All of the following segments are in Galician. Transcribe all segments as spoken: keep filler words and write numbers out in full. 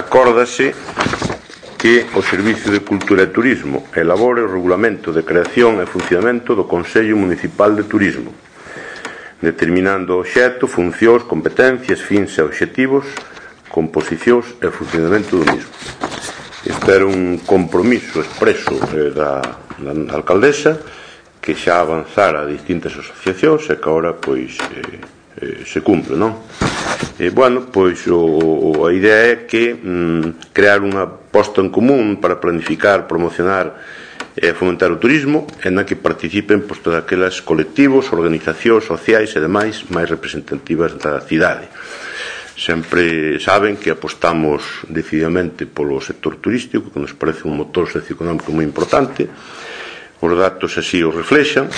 acórdase que o Servicio de Cultura e Turismo elabore o regulamento de creación e funcionamento do Consello Municipal de Turismo, determinando o obxecto, funcións, competencias, fins e obxectivos, composicións e funcionamento do mismo. Este era un compromiso expreso eh, da, da alcaldesa, que xa avanzara a distintas asociacións e que agora pois eh, eh, se cumple, non? E, bueno, pois o, a idea é que mm, crear unha posta en común para planificar, promocionar e fomentar o turismo e na que participen pois, todas aquelas colectivos, organizacións sociais e demais máis representativas da cidade. Sempre saben que apostamos decididamente polo sector turístico, que nos parece un motor socioeconómico moi importante. Os datos así o reflexan.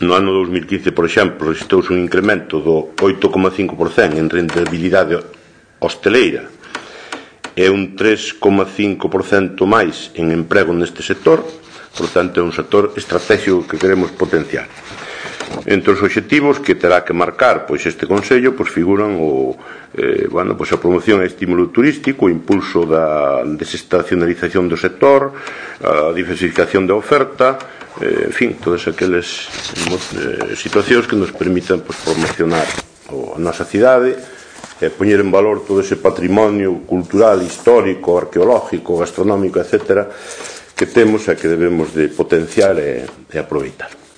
No ano dous mil quince, por exemplo, registrouse un incremento do oito coma cinco por cento en rentabilidade hosteleira e un tres coma cinco por cento máis en emprego neste sector. Por tanto, é un sector estratégico que queremos potenciar. Entre os obxectivos que terá que marcar pois este Consello pois figuran o, eh, bueno, pois a promoción e estímulo turístico, o impulso da desestacionalización do sector, a diversificación da oferta, eh, en fin, todas aquelas eh, situacións que nos permitan pois, promocionar o, a nosa cidade e poñer en valor todo ese patrimonio cultural, histórico, arqueológico, gastronómico, etcétera, que temos e que debemos de potenciar e, e aproveitar.